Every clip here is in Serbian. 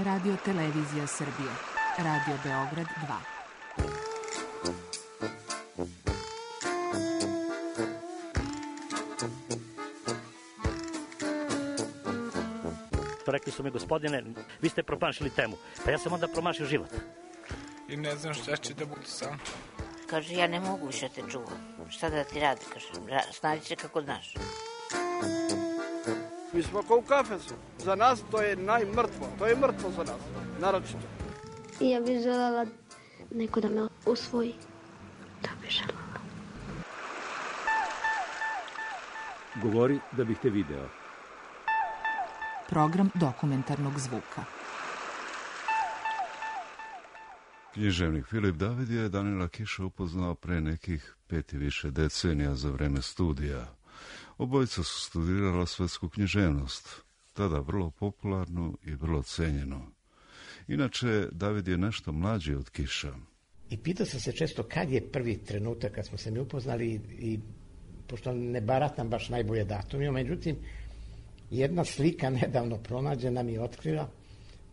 Radio Televizija Srbije. Radio Beograd 2. Rekli su mi, gospodine, vi ste promašili temu. Pa ja sam onda promašio život. I ne znam šta će da bude sam. Kaže, ja ne mogu više te čuvam. Šta da ti radi, kaže, snađi se kako znaš. Mi smo kao u kafesu. Za nas to je najmrtvo. To je mrtvo za nas, naročito. I ja bih želela neko da me usvoji. To bih želela. Govori da bih te video. Program dokumentarnog zvuka. Književnik Filip David je Danila Kiša upoznao pre nekih 5 i više decenija za vreme studija. Obojica su studirala svetsku književnost, tada vrlo popularnu i vrlo cenjenu. Inače, David je nešto mlađi od Kiša. I pitao sam se često kad je prvi trenutak kad smo se mi upoznali i pošto ne baratam baš najbolje datumima, međutim, jedna slika nedavno pronađena mi je otkrila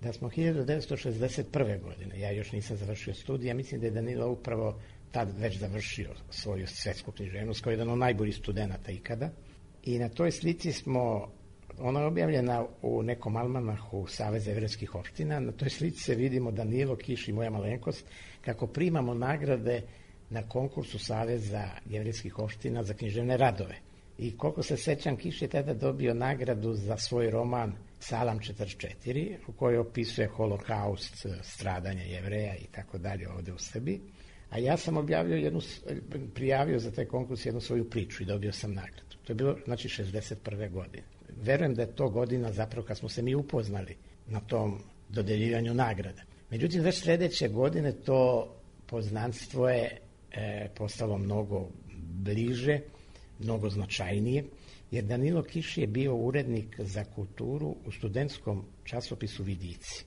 da smo 1961. godine, ja još nisam završio studij, mislim da je Danilo upravo tad već završio svoju svetsku književnost kao jedan od najboljih studenata ikada. I na toj slici smo, ona je objavljena u nekom almanahu Saveza jevrejskih opština, na toj slici se vidimo Danilo, Kiš i moja malenkost, kako primamo nagrade na konkursu Saveza jevrejskih opština za književne radove. I koliko se sećam, Kiš je tada dobio nagradu za svoj roman Salam 44, u kojoj opisuje holokaust, stradanja Jevreja i tako dalje ovde u Srbiji. A ja sam prijavio za taj konkurs jednu svoju priču i dobio sam nagradu. To je bilo, znači, 61. godine. Verujem da je to godina zapravo kad smo se mi upoznali na tom dodeljivanju nagrada. Međutim, već sledeće godine to poznanstvo je postalo mnogo bliže, mnogo značajnije, jer Danilo Kiš je bio urednik za kulturu u studentskom časopisu Vidici.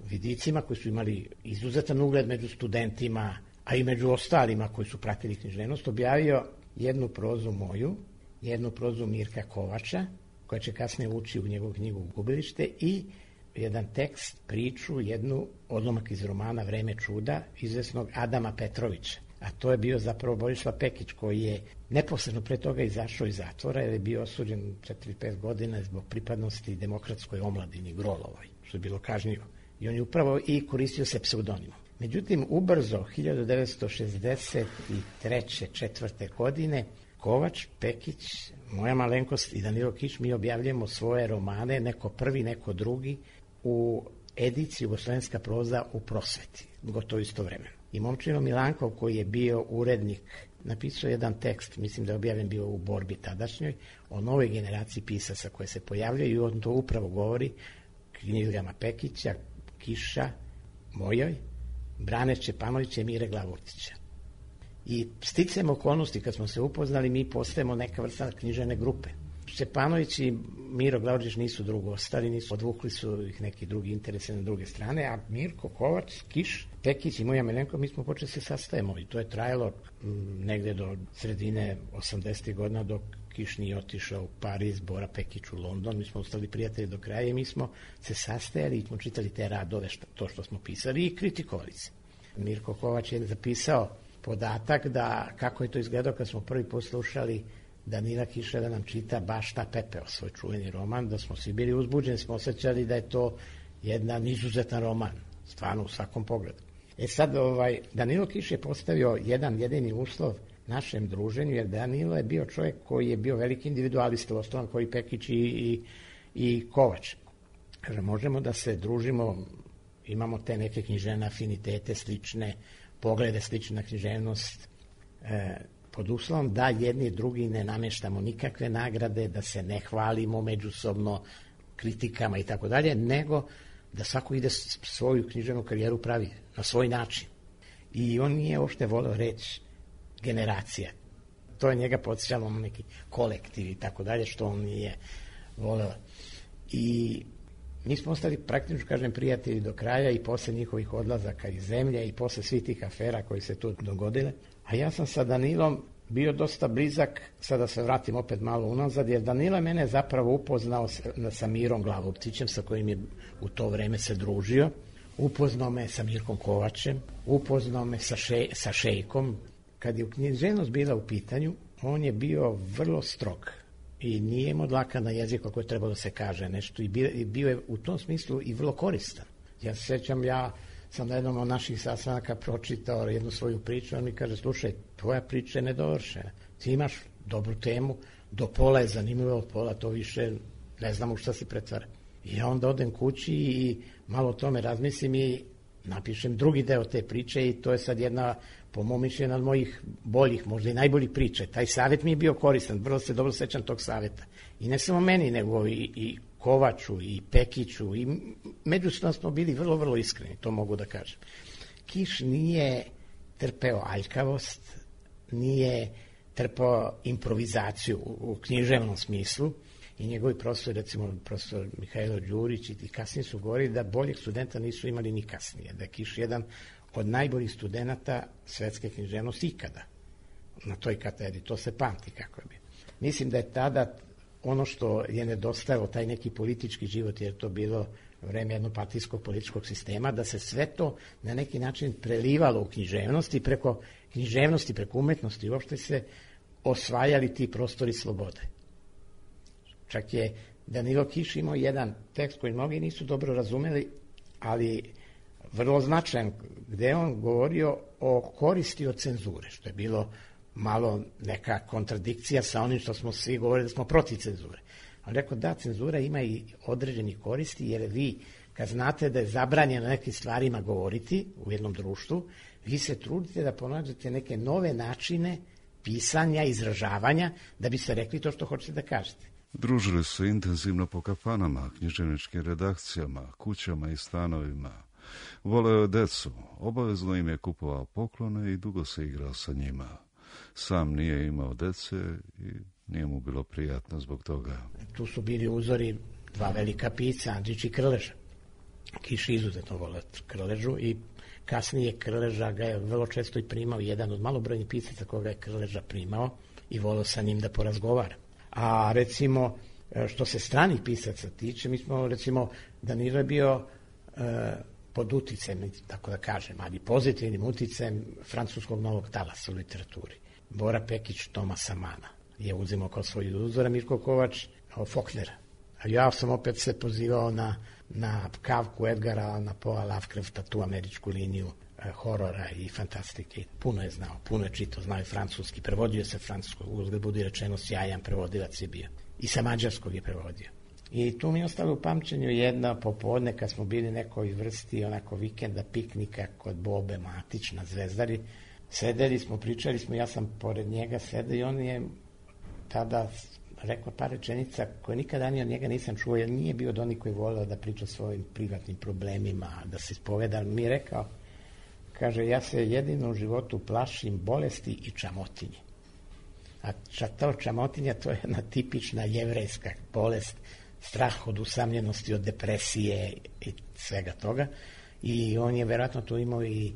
Vidicima koji su imali izuzetan ugled među studentima, a i među ostalima koji su pratili književnost, objavio jednu prozu moju, jednu prozu Mirka Kovača, koja će kasnije ući u njegovu knjigu Gubilište, i jedan tekst, priču, jednu odlomak iz romana Vreme čuda, izvesnog Adama Petrovića. A to je bio zapravo Borislav Pekić, koji je neposredno pre toga izašao iz zatvora, jer je bio osuđen 4-5 godina zbog pripadnosti demokratskoj omladini Grolovoj, što je bilo kažnjivo. I on je upravo i koristio se pseudonimom. Međutim, ubrzo, 1963. 4. godine, Kovač, Pekić, moja malenkost i Danilo Kiš, mi objavljamo svoje romane, neko prvi, neko drugi, u ediciji Jugoslovenska proza u prosveti, gotovo istovremeno. I Momčilo Milankov, koji je bio urednik, napisao jedan tekst, mislim da je objavljen bio u Borbi tadašnjoj, o novoj generaciji pisaca koje se pojavljaju, i on to upravo govori knjigama Pekića, Kiša, mojoj, Brane Čepanovića i Mire Glavurtića. I sticam okolnosti, kad smo se upoznali, mi postajemo neka vrsta književne grupe. Čepanović i Miro Glavurtić nisu drugo ostali, odvukli su ih neki drugi interese na druge strane, a Mirko, Kovač, Kiš, Pekić i moja Milenko, mi smo počeli se sastajemo i to je trajalo negde do sredine 80. godina, dok Kiš nije otišao u Pariz, Bora Pekić u London, mi smo ostali prijatelji do kraja i mi smo se sastajali i smo čitali te radove, to što smo pisali, i kritikovali se. Mirko Kovač je zapisao podatak da kako je to izgledao kad smo prvi put slušali Danila Kiša da nam čita Bašta pepeo, svoj čuveni roman, da smo svi bili uzbuđeni, smo osjećali da je to jedan izuzetan roman, stvarno u svakom pogledu. Sad, Danilo Kiš je postavio jedan jedini uslov našem druženju, jer Danilo je bio čovjek koji je bio veliki individualista, osnovan koji Pekić i Kovač. Kaže, možemo da se družimo, imamo te neke književne afinitete, slične poglede, slična književnost, pod uslovom da jedni drugi ne nameštamo nikakve nagrade, da se ne hvalimo međusobno kritikama i tako dalje, nego da svako ide svoju književnu karijeru pravi na svoj način. I on nije uopšte voleo reći generacija. To je njega podsjećalo na neki kolektiv i tako dalje, što on nije voleo. I mi smo ostali praktično, kažem, prijatelji do kraja i posle njihovih odlazaka iz zemlje i posle svih tih afera koji se tu dogodile. A ja sam sa Danilom bio dosta blizak, sada se vratim opet malo unazad, jer Danilo je mene zapravo upoznao sa Mirom Glavoptićem, sa kojim je u to vreme se družio. Upoznao me sa Mirkom Kovačem, upoznao me sa Šejkom. Kad je književnost bila u pitanju, on je bio vrlo strog i nije imao dlaka na jeziku ako je trebalo da se kaže nešto i bio je u tom smislu i vrlo koristan. Ja se sjećam, ja sam na jednom od naših sastanaka pročitao jednu svoju priču, on mi kaže, slušaj, tvoja priča je nedovršena. Ti imaš dobru temu, do pola je zanimljivo, od pola to više ne znam u šta se pretvara. I ja onda odem kući i malo o tome razmislim i napišem drugi deo te priče i to je sad jedna, po mom mišljenju, od mojih boljih, možda i najboljih priče. Taj savjet mi je bio koristan, vrlo se dobro sećam tog savjeta. I ne samo meni, nego i Kovaču, i Pekiću, i međusobno smo bili vrlo, vrlo iskreni, to mogu da kažem. Kiš nije trpeo aljkavost, nije trpeo improvizaciju u književnom smislu i njegovi profesori, recimo profesor Mihajlo Đurić i kasnije su govorili da boljeg studenta nisu imali ni kasnije, da je Kiš jedan od najboljih studenta svetske književnosti ikada na toj katedri, to se pamti kako je bilo. Mislim da je tada ono što je nedostajalo, taj neki politički život, jer to bilo vreme jednopartijskog političkog sistema, da se sve to na neki način prelivalo u književnosti, preko književnosti, preko umetnosti, uopšte se osvajali ti prostori slobode. Čak je Danilo Kiš imao jedan tekst koji mnogi nisu dobro razumeli, ali vrlo značajan, gde on govorio o koristi od cenzure, što je bilo malo neka kontradikcija sa onim što smo svi govorili da smo protiv cenzure. On rekao da, cenzura ima i određeni koristi, jer vi kad znate da je zabranjeno nekim stvarima govoriti u jednom društvu, vi se trudite da pronađete neke nove načine pisanja, izražavanja, da biste rekli to što hoćete da kažete. Družili su intenzivno po kafanama, književničkim redakcijama, kućama i stanovima. Voleo je decu, obavezno im je kupovao poklone i dugo se igrao sa njima. Sam nije imao dece i nije mu bilo prijatno zbog toga. Tu su bili uzori dva velika pisca, Andrić i Krleža. Kiš izuzetno voleo Krležu i kasnije Krleža ga je vrlo često i primao, jedan od malobrojnih pisaca koga je Krleža primao i voleo sa njim da porazgovara. A recimo, što se stranih pisaca tiče, mi smo, recimo, Danilo je bio pod uticajem, tako da kažem, ali pozitivnim uticajem francuskog novog talasa u literaturi. Bora Pekić Tomasa Mana je uzimao kao svoj uzor, a Mirko Kovač Faulknera. A ja sam opet se pozivao na Kafku, Edgara Allana Poea, Lovecrafta, tu američku liniju horora i fantastike. Puno je znao, puno je čitao, znao je francuski, prevodio se francuskog, uzgled budi rečeno sjajan prevodilac je bio. I sa mađarskog je prevodio. I tu mi je ostalo u pamćenju jedna popodne kad smo bili nekoj vrsti onako vikenda piknika kod Bobe Matić na Zvezdari. Sedeli smo, pričali smo, ja sam pored njega sedeo i on je tada rekao par rečenica koje nikada ni od njega nisam čuo, jer nije bio od onih koji voleo da priča o svojim privatnim problemima, da se ispoveda. Mi je rekao, kaže, ja se jedino u životu plašim bolesti i čamotinje. A to čamotinja, to je jedna tipična jevrejska bolest, strah od usamljenosti, od depresije i svega toga. I on je verovatno to imao i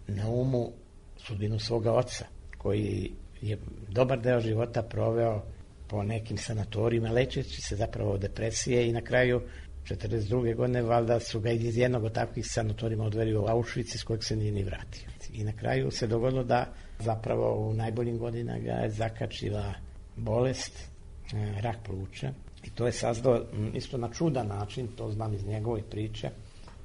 na umu sudbinu svoga oca, koji je dobar deo života proveo po nekim sanatorijima, lečeći se zapravo od depresije i na kraju 42. godine valjda su ga iz jednog od takvih sanatorijima odveli u Auschwitz iz kojeg se nije ni vratio. I na kraju se dogodilo da zapravo u najboljim godinama ga je zakačila bolest, rak pluća. I to je sazdao isto na čudan način, to znam iz njegove priče.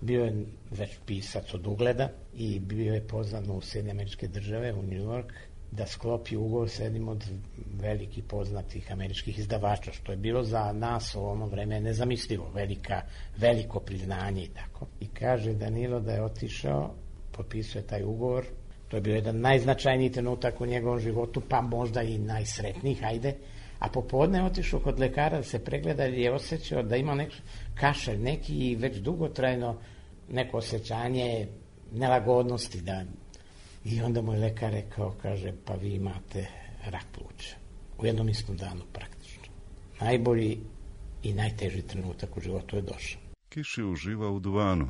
Bio je već pisac od ugleda i bio je pozvan u Sjedinjene Američke Države, u New York, da sklopi ugovor sa jednim od velikih poznatih američkih izdavača, što je bilo za nas u ono vreme nezamislivo, veliko priznanje i tako. I kaže Danilo da je otišao, potpisuje taj ugovor, to je bio jedan najznačajniji trenutak u njegovom životu, pa možda i najsretnijih, ajde, a popodne je otišao kod lekara da se pregleda jer je osjećao da ima neki kašalj, neki već dugotrajno neko osjećanje nelagodnosti. I onda mu je lekar rekao, kaže, pa vi imate rak pluća. U jednom istom danu praktično. Najbolji i najteži trenutak u životu je došao. Kiš je uživao u duvanu.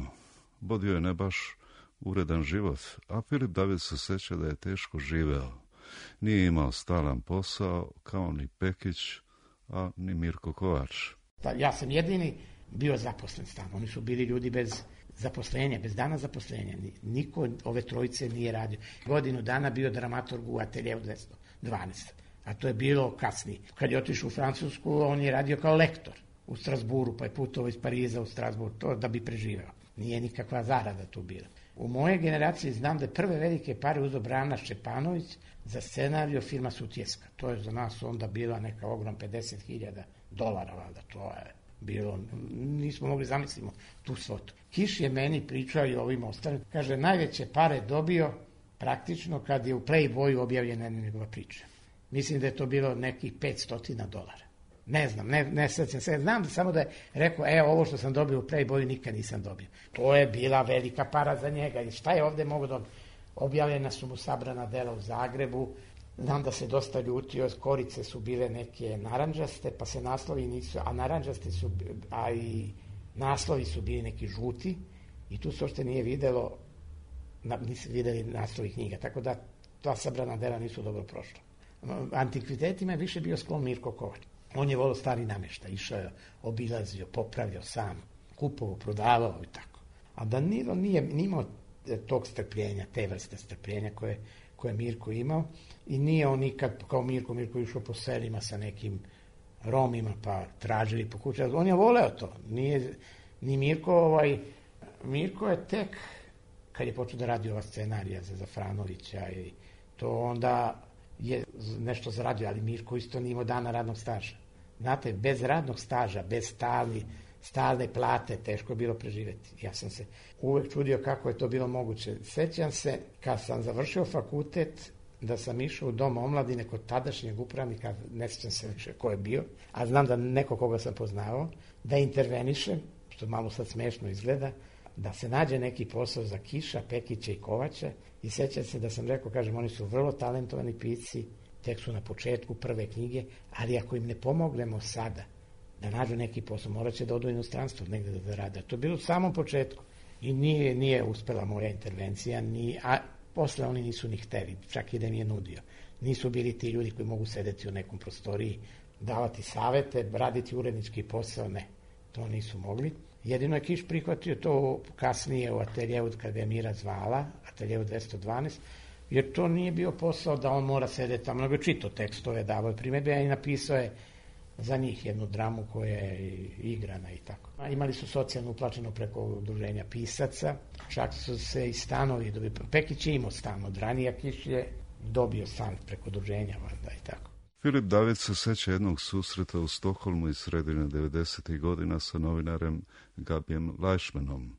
Bodio je ne baš uredan život, a Filip David se seća da je teško živeo. Nije imao stalan posao, kao ni Pekić, a ni Mirko Kovač. Ja sam jedini bio zaposlen stalno. Oni su bili ljudi bez zaposlenja, bez dana zaposlenja. Niko ove trojice nije radio. Godinu dana bio dramaturg u Ateljeu 212. A to je bilo kasnije. Kad je otišao u Francusku, on je radio kao lektor u Strasburu, pa je putovao iz Pariza u Strasbur, to da bi preživeo. Nije nikakva zarada tu bila. U moje generaciji znam da je prve velike pare uzeo Brana Šćepanović za scenariju filma Sutjeska. To je za nas onda bila neka ogrom $50.000, valjda. To je bilo, nismo mogli zamislimo tu svotu. Kiš je meni pričao i ovim ostalim. Kaže, najveće pare dobio praktično kad je u Playboyu objavljena njegova priča. Mislim da je to bilo nekih $500. Ne znam, ne sjećam se. Znam da samo da je rekao, ovo što sam dobio u Playboyu nikad nisam dobio. To je bila velika para za njega. I šta je ovde mogo dobiti? Objavljena su mu sabrana dela u Zagrebu. Znam da se dosta ljutio, korice su bile neke naranđaste, pa se naslovi nisu, a naranđaste su, a i naslovi su bili neki žuti i tu se ošte nije videlo, nisu videli naslovi knjiga, tako da ta sabrana dela nisu dobro prošla. Antikvitetima je više bio sklon Mirko Kovač. On je volio stari namještaj, išao je, obilazio, popravljao sam, kupovao, prodavao i tako. A Danilo nije imao tog strpljenja, te vrste strpljenja koje je Mirko imao i nije on nikad kao Mirko išao po selima sa nekim Romima pa tražili po kući. On je voleo to. Ni Mirko, Mirko je tek kad je počeo da radi ova scenarija za Zafranovića i to onda je nešto zaradio, ali Mirko isto nije imao dana radnog staža. Znate, bez radnog staža, bez stalne plate, teško je bilo preživeti. Ja sam se uvek čudio kako je to bilo moguće. Sećam se, kad sam završio fakultet, da sam išao u dom omladine kod tadašnjeg upravnika, ne sećam se više ko je bio, a znam da neko koga sam poznavao, da intervenišem, što malo sad smešno izgleda, da se nađe neki posao za Kiša, Pekića i Kovača i sećam se da sam rekao, kažem, oni su vrlo talentovani pisci, tek su na početku prve knjige, ali ako im ne pomognemo sada da nađu neki posao, morat će da odu u inostranstvo negde da rade. To je bilo u samom početku i nije uspela moja intervencija, a posle oni nisu ni hteli, čak i da mi je nudio. Nisu bili ti ljudi koji mogu sedeti u nekom prostoriji, davati savete, raditi urednički posao, ne, to nisu mogli. Jedino je Kiš prihvatio to kasnije u Ateljeu kad ga je Mira zvala, Ateljeu 212, jer to nije bio posao da on mora sedeti tamo, nego čito tekstove, davao je primedbe, a i napisao je za njih jednu dramu koja je igrana i tako. Imali su socijalno uplaćeno preko udruženja pisaca, čak su se i stanovi dobili. Pekić je imao stan od ranija, Kiš je dobio stan preko udruženja, valjda i tako. Filip David se seća jednog susreta u Stokholmu iz sredine 90. godina sa novinarem Gabijem Lajšmanom.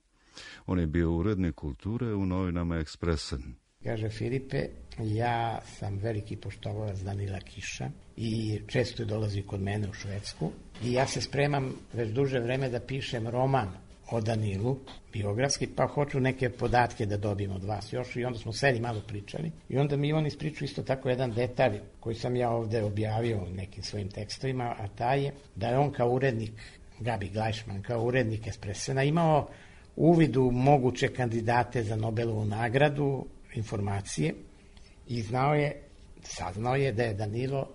On je bio urednik kulture u novinama Ekspresen. Kaže, Filipe, ja sam veliki poštovalac Danila Kiša i često je dolazi kod mene u Švedsku i ja se spremam već duže vreme da pišem roman o Danilu, biografski, pa hoću neke podatke da dobijem od vas još i onda smo seli malo pričali i onda mi on ispričao isto tako jedan detalj koji sam ja ovde objavio u nekim svojim tekstovima, a taj je da je on kao urednik, Gabi Glajšman, kao urednik Ekspresena imao uvid u moguće kandidate za Nobelovu nagradu, informacije i saznao je da je Danilo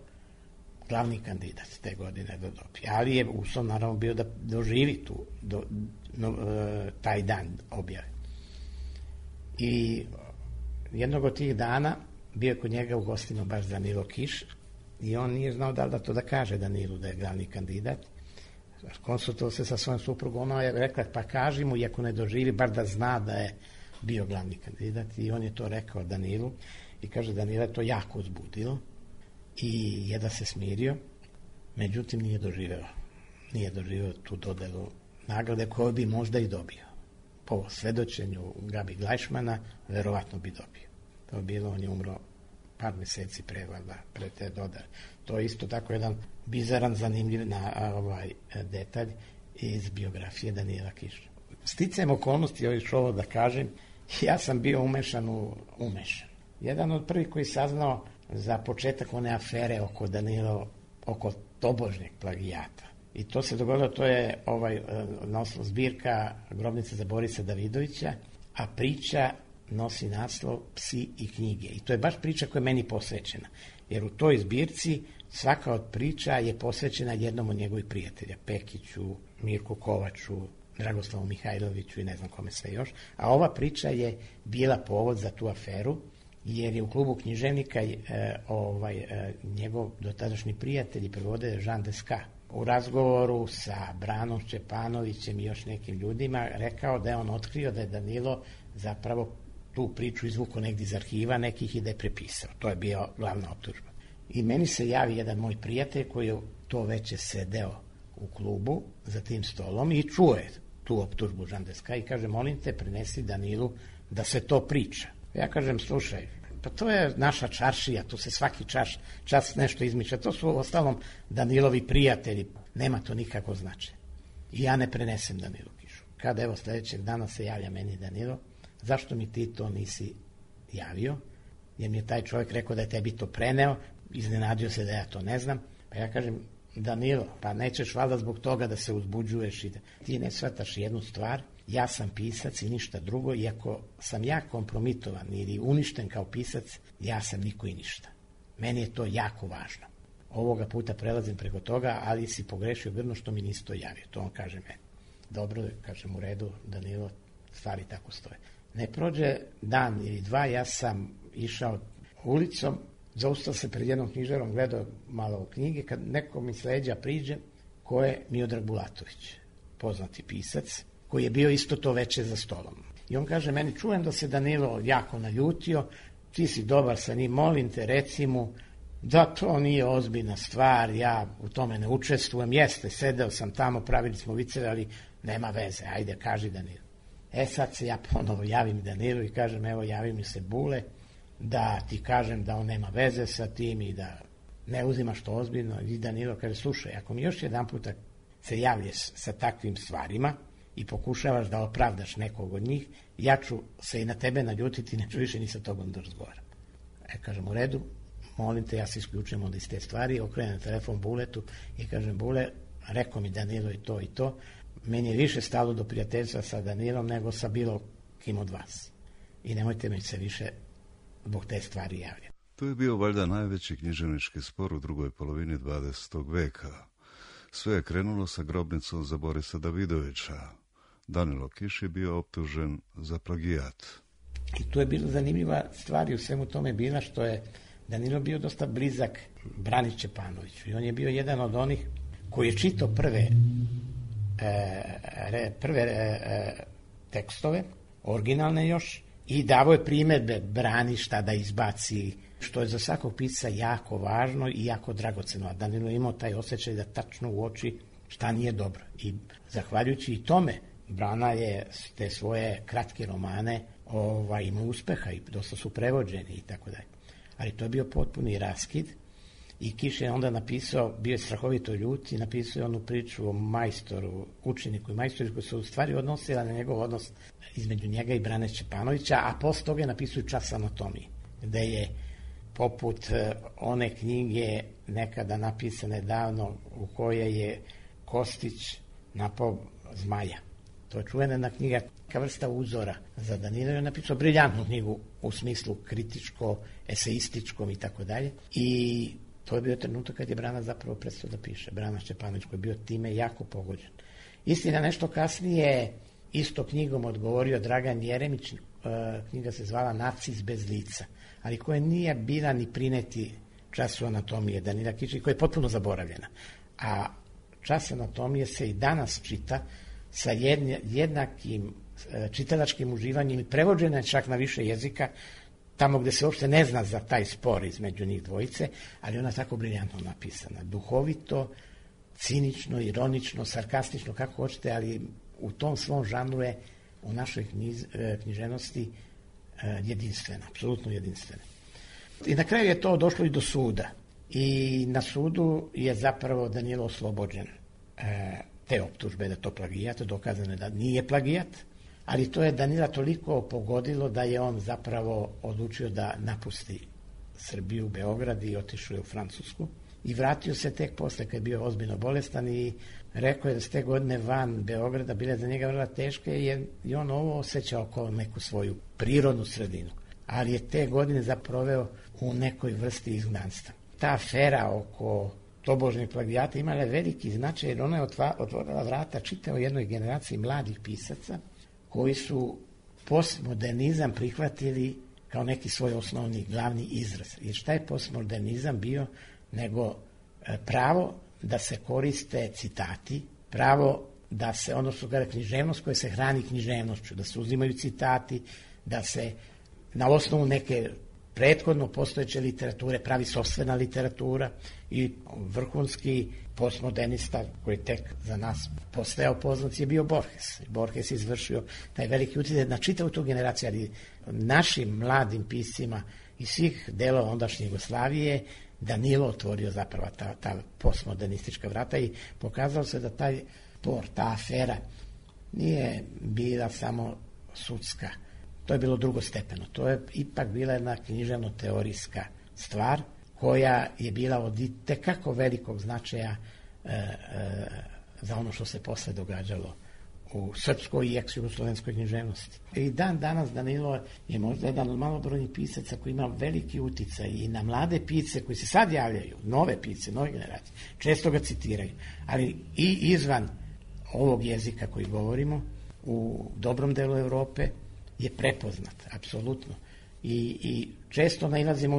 glavni kandidat te godine da dobije, ali je uslov naravno bio da doživi taj dan objave. I jednog od tih dana bio je kod njega u gostima baš Danilo Kiš i on nije znao da to da kaže Danilu da je glavni kandidat. Konsultovao se sa svojom suprugom, ona je rekla pa kaži mu i ako ne doživi bar da zna da je bio glavni kandidat i on je to rekao Danilu i kaže Danila je to jako uzbudilo i jedva se smirio, međutim nije doživeo tu dodelu nagrade koju bi možda i dobio. Po svedočenju Gabi Glajšmana verovatno bi dobio. To je bilo, on je umro par meseci pre te dodele. To je isto tako jedan bizaran, zanimljiv detalj iz biografije Danila Kiša. Sticajem okolnosti, još ovo da kažem, ja sam bio umešan. Jedan od prvih koji saznao za početak one afere oko Danilo, oko tobožnjeg plagijata. I to se dogodilo, to je naslov zbirka Grobnica za Borisa Davidovića, a priča nosi naslov Psi i knjige. I to je baš priča koja je meni posvećena. Jer u toj zbirci svaka od priča je posvećena jednom od njegovih prijatelja. Pekiću, Mirku Kovaču, Dragoslavu Mihajloviću i ne znam kome sve još. A ova priča je bila povod za tu aferu, jer je u klubu književnika njegov dotadašnji prijatelj i prevode Jean Desca u razgovoru sa Branom Šćepanovićem i još nekim ljudima rekao da je on otkrio da je Danilo zapravo tu priču izvukao negdje iz arhiva nekih i da je prepisao. To je bio glavna optužba. I meni se javi jedan moj prijatelj koji je to već sedeo u klubu za tim stolom i čuje tu optužbu Jean Desca i kaže, molim te, prenesi Danilu da se to priča. Ja kažem, slušaj, pa to je naša čaršija, tu se svaki čas nešto izmišlja. To su ostalom Danilovi prijatelji, nema to nikako značaja. I ja ne prenesem Danilu Kišu. Kada evo sljedećeg dana se javlja meni Danilo, zašto mi ti to nisi javio? Jer mi je taj čovjek rekao da je tebi to preneo, iznenadio se da ja to ne znam. Pa ja kažem, Danilo, pa nećeš valjda zbog toga da se uzbuđuješ i da ti ne shvataš jednu stvar, ja sam pisac i ništa drugo, i ako sam ja kompromitovan ili uništen kao pisac, ja sam niko i ništa. Meni je to jako važno. Ovoga puta prelazim preko toga, ali si pogrešio grdno što mi nisi to javio. To on kaže meni. Dobro, kažem u redu, Danilo, stvari tako stoje. Ne prođe dan ili dva, ja sam išao ulicom, zaustao se pred jednom knjižarom, gledao malo u knjige, kad neko mi s leđa priđe, ko je Miodrag Bulatović, poznati pisac, koji je bio isto to veče za stolom. I on kaže meni, čujem da se Danilo jako naljutio, ti si dobar sa njim, molim te, reci mu da to nije ozbiljna stvar, ja u tome ne učestvujem, jeste, sedeo sam tamo, pravili smo viceve, ali nema veze, ajde, kaži Danilo. Sad se ja ponovo javim Danilu i kažem, evo, javi mi se Bule, da ti kažem da on nema veze sa tim i da ne uzimaš to ozbiljno. I Danilo kaže, slušaj, ako mi još jedan puta se javlješ sa takvim stvarima i pokušavaš da opravdaš nekog od njih, ja ću se i na tebe naljutiti, neću više ni sa tobom da razgovaram. Kažem, u redu, molim te, ja se isključujem onda iz te stvari, okrenem telefon Buletu i kažem, Bule, rekao mi Danilo i to, meni je više stalo do prijateljstva sa Danilom nego sa bilo kim od vas. I nemojte mi se više zbog te stvari javljati. To je bio valjda najveći književnički spor u drugoj polovini 20. veka. Sve je krenulo sa grobnicom za Borisa Davidovića. Danilo Kiš je bio optužen za plagijat. I tu je bila zanimljiva stvar i u svemu tome bila što je Danilo bio dosta blizak Brani Šćepanoviću. I on je bio jedan od onih koji je čitao prve tekstove, originalne još, i davao je primjedbe Brani šta da izbaci, što je za svakog pisca jako važno i jako dragoceno. A Danilo je imao taj osjećaj da tačno uoči šta nije dobro. I zahvaljujući i tome, Brana je te svoje kratke romane imao uspeha i dosta su prevođeni i tako dalje. Ali to je bio potpuni raskid i Kiš je onda napisao, bio je strahovito ljut i napisao je onu priču o majstoru, učeniku i majstoru koji se u stvari odnosila na njegov odnos između njega i Brane Šćepanovića, a posle toga je napisao čas anatomije, gde je poput one knjige nekada napisane davno u kojoj je Kostić napao zmaja. To je čuvena knjiga, neka vrsta uzora za Danilo. Je napisao briljantnu knjigu u smislu kritičko, eseističkom i tako dalje. I to je bio trenutak kad je Brana zapravo prestao da piše. Brana Šćepanović koji je bio time jako pogođen. Istina, nešto kasnije isto knjigom odgovorio Dragan Jeremić, knjiga se zvala Nacis bez lica, ali koja nije bila ni prineti času anatomije Danila Kiša, koja je potpuno zaboravljena. A čas anatomije se i danas čita sa jednakim čitalačkim uživanjem i prevođena je čak na više jezika, tamo gde se uopšte ne zna za taj spor između njih dvojice, ali ona tako briljantno napisana. Duhovito, cinično, ironično, sarkastično, kako hoćete, ali u tom svom žanru je u našoj književnosti jedinstvena, apsolutno jedinstvena. I na kraju je to došlo i do suda. I na sudu je zapravo Danilo oslobođen te optužbe da to plagijat, dokazano je da nije plagijat, ali to je Danila toliko pogodilo da je on zapravo odlučio da napusti Srbiju, Beograd i otišao je u Francusku. i vratio se tek posle kad je bio ozbiljno bolestan i rekao je da ste godine van Beograda bile za njega vrlo teške jer je on ovo osjećao kao neku svoju prirodnu sredinu, ali je te godine zaproveo u nekoj vrsti izgnanstva. Ta afera oko tobožnjeg plagijata imala je veliki značaj jer ona je otvorila vrata čitao jednoj generaciji mladih pisaca koji su postmodernizam prihvatili kao neki svoj osnovni glavni izraz. Jer šta je postmodernizam bio nego pravo da se koriste citati, pravo da se, odnosno književnost koja se hrani književnošću, da se uzimaju citati, da se na osnovu neke prethodno postojeće literature pravi sopstvena literatura i vrhunski postmodernista koji tek za nas postajao poznat je bio Borges. Borges je izvršio taj veliki utjecaj na čitavu tu generaciju, ali našim mladim piscima iz svih delova ondašnje Jugoslavije Danilo otvorio zapravo ta postmodernistička vrata i pokazalo se da ta afera nije bila samo sudska. To je bilo drugostepeno. To je ipak bila jedna književno-teorijska stvar koja je bila od itekako velikog značaja za ono što se posle događalo u srpskoj i ex-jugoslovenskoj književnosti. I dan danas Danilo je možda jedan od malobrojnih pisaca koji ima veliki uticaj i na mlade pisce koji se sad javljaju, nove pisce, nove generacije, često ga citiraju, ali i izvan ovog jezika koji govorimo u dobrom delu Evrope je prepoznat, apsolutno. I često nailazimo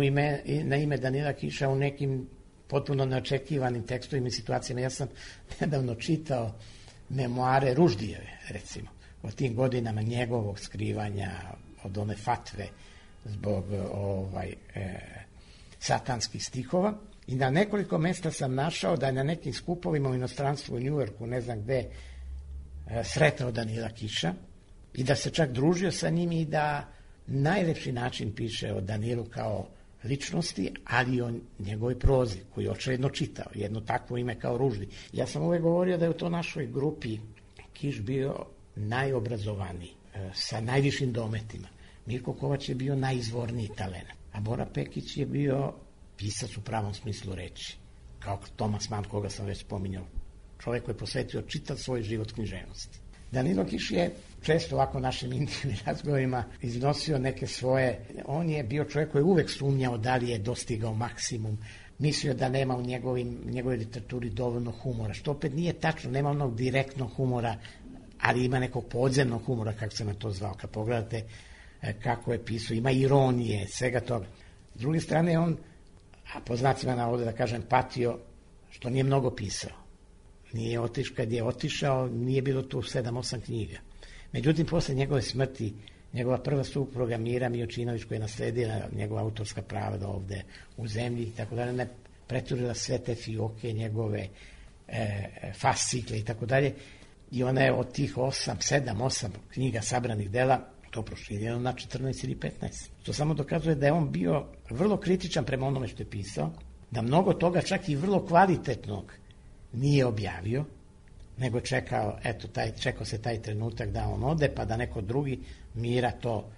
na ime Danila Kiša u nekim potpuno neočekivanim tekstovima i situacijama. Ja sam nedavno čitao memoare Ruždijeve, recimo, o tim godinama njegovog skrivanja od one fatve zbog satanskih stihova i na nekoliko mesta sam našao da je na nekim skupovima u inostranstvu u Njujorku, ne znam gde, sretao Danila Kiša i da se čak družio sa njim i da najlepši način piše o Danilu kao ličnosti, ali i o njegovoj prozi, koju je očigledno čitao, jedno takvo ime kao Ruždi. Ja sam uvek govorio da je u to našoj grupi Kiš bio najobrazovaniji, sa najvišim dometima. Mirko Kovač je bio najizvorniji talent, a Bora Pekić je bio pisac u pravom smislu reči, kao Tomas Mann, koga sam već spominjao, čovjek koji je posvetio čitav svoj život književnosti. Danilo Kiš je često ovako našim intimnim razgovorima iznosio neke svoje, on je bio čovjek koji je uvek sumnjao da li je dostigao maksimum, mislio da nema u njegovoj literaturi dovoljno humora, što opet nije tačno, nema onog direktnog humora, ali ima nekog podzemnog humora, kako se na to zvao, kad pogledate kako je pisao, ima ironije, svega toga. S druge strane, on, a po znacima navoda da kažem, patio, što nije mnogo pisao. Nije otišao, kad je otišao, nije bilo tu 7-8 knjiga. Međutim, posle njegove smrti, njegova prva supruga Mira Mijočinović, koja je nasledila njegova autorska prava da ovde u zemlji, tako da ne preturila sve te fioke, njegove fascikle i tako dalje. I ona je od tih 7-8 knjiga sabranih dela to proširjeno na 14 ili 15. To samo dokazuje da je on bio vrlo kritičan prema onome što je pisao, da mnogo toga, čak i vrlo kvalitetnog, nije objavio, nego čekao se taj trenutak da on ode, pa da neko drugi Mira to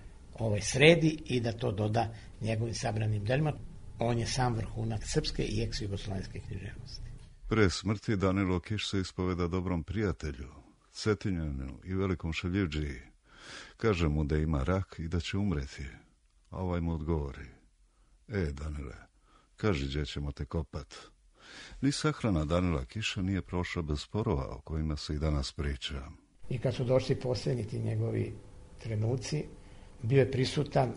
sredi i da to doda njegovim sabranim delima. On je sam vrhunak srpske i ex-jugoslovenske književnosti. Pre smrti Danilo Kiš se ispoveda dobrom prijatelju, Cetinjanu i velikom šaljivdžiji. Kaže mu da ima rak i da će umreti. A ovaj mu odgovori: Danile, kaži gdje ćemo te kopat. Ni sahrana Danila Kiša nije prošla bez sporova o kojima se i danas priča. I kad su došli posljednji ti njegovi trenuci, bio je prisutan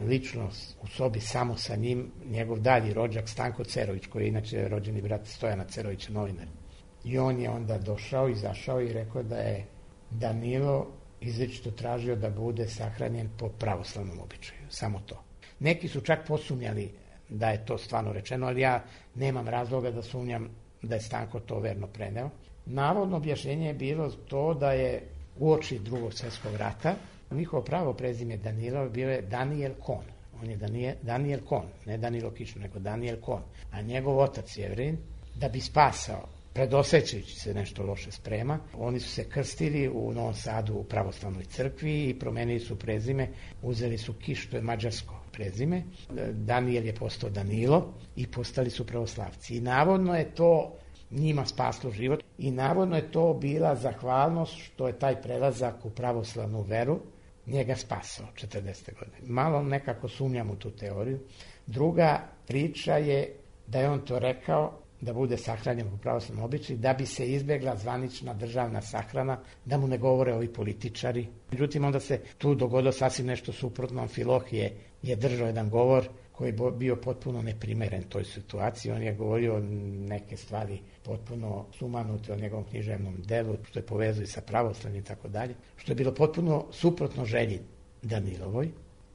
ličnost u sobi samo sa njim, njegov dalji rođak Stanko Cerović, koji je inače rođeni brat Stojana Cerovića, novinar. I on je onda došao, izašao i rekao da je Danilo izričito tražio da bude sahranjen po pravoslavnom običaju, samo to. Neki su čak posumnjali da je to stvarno rečeno, ali ja nemam razloga da sumnjam da je Stanko to verno preneo. Navodno objašnjenje je bilo to da je uoči Drugog svjetskog rata njihovo pravo prezime Danilo bio je Daniel Kohn. On je Daniel Kohn, ne Danilo Kiš, nego Daniel Kohn. A njegov otac Jevrin, da bi spasao, predosećajući se nešto loše sprema, oni su se krstili u Novom Sadu u pravoslavnoj crkvi i promenili su prezime, uzeli su Kiš, to je mađarsko prezime. Danijel je postao Danilo i postali su pravoslavci. I navodno je to njima spaslo život i navodno je to bila zahvalnost što je taj prelazak u pravoslavnu veru njega spasao 40. godine. Malo nekako sumnjam u tu teoriju. Druga priča je da je on to rekao da bude sahranjen po pravoslavnom običaju, da bi se izbjegla zvanična državna sahrana, da mu ne govore ovi političari. Međutim, onda se tu dogodilo sasvim nešto suprotno. Amfilohije je držao jedan govor koji je bio potpuno neprimeren toj situaciji. On je govorio neke stvari potpuno sumanute o njegovom književnom delu, što je povezuje sa pravoslavnim i tako dalje, što je bilo potpuno suprotno želji Danilovoj.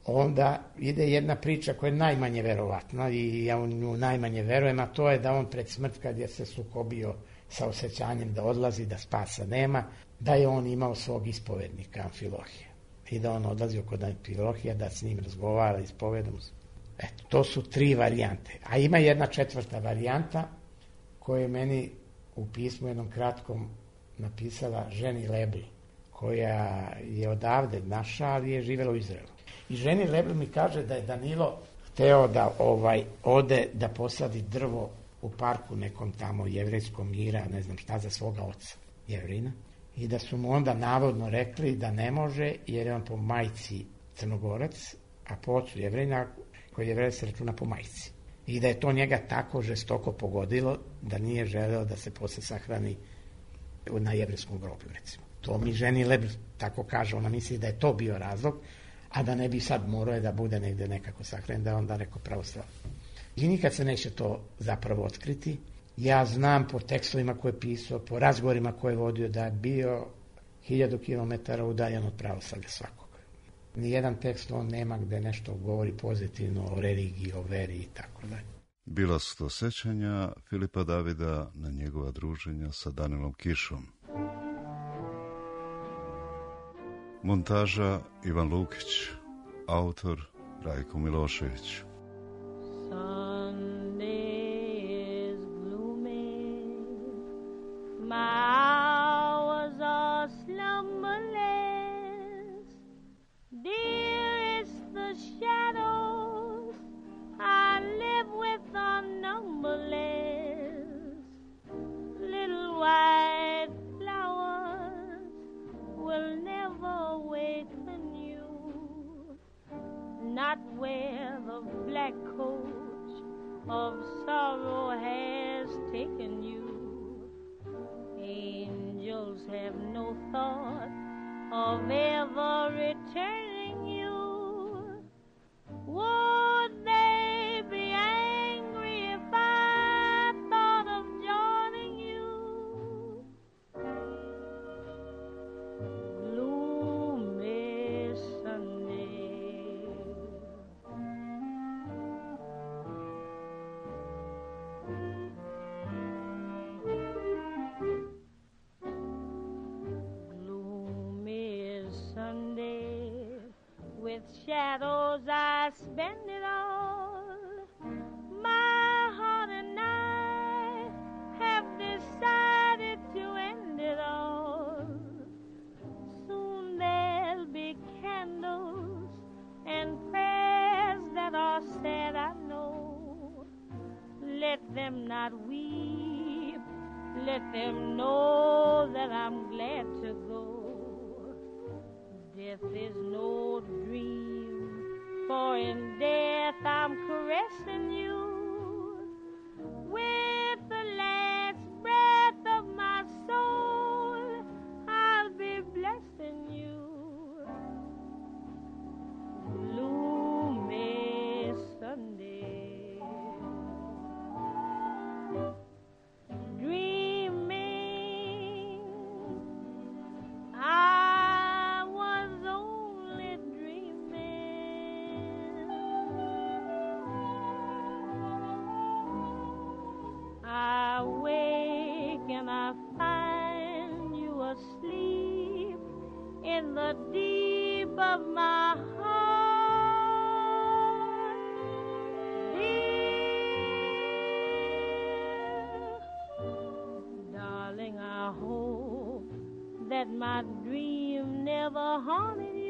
Onda ide jedna priča koja je najmanje verovatna i ja u nju najmanje verujem, a to je da on pred smrt, kad je se sukobio sa osjećanjem da odlazi, da spasa nema, da je on imao svog ispovednika Amfilohija i da on odlazio kod Amfilohija da s njim razgovara, ispovedom. Eto, to su 3 varijante. A ima jedna 4. varijanta koju je meni u pismu jednom kratkom napisala ženi Lebl, koja je odavde naša, ali je živjela u Izraelu. I ženi Lebl mi kaže da je Danilo hteo da ode da posadi drvo u parku nekom tamo jevrejskom Mira, ne znam šta, za svoga oca Jevrina, i da su mu onda navodno rekli da ne može jer je on po majci Crnogorac, a po ocu Jevrina, koji Jevrej se računa po majci. I da je to njega tako žestoko pogodilo da nije želeo da se posle sahrani na jevrejskom groblju, recimo. To mi ženi Lebl tako kaže, ona misli da je to bio razlog, a da ne bi sad morao da bude negde nekako sahranjen, da je onda neko pravoslavno. I nikad se neće to zapravo otkriti. Ja znam po tekstovima koje je pisao, po razgovorima koje je vodio, da je bio 1000 kilometara udaljen od pravoslavlja svakog. Nijedan tekst on nema gde nešto govori pozitivno o religiji, o veri i tako dalje. Bila su to sećanja Filipa Davida na njegova druženja sa Danilom Kišom. Montaža Ivan Lukić, autor Rajko Milošević. Not where the black coach of sorrow has taken you. Angels have no thought of ever returning you. Would they be angry if I thought of joining you? Gloomy Sunday, with shadows I spend it all. My heart and I have decided to end it all. Soon there'll be candles and prayers that are said, I know. Let them not weep, let them know that I'm glad to go. Death is no dream, for in death I'm caressing you. With the last breath of my soul, I'll be blessing you. Gloomy Sunday, dreaming I was only dreaming. I wake and I find you asleep in the deep of my heart. Dear darling, I hope that my dream never haunted you.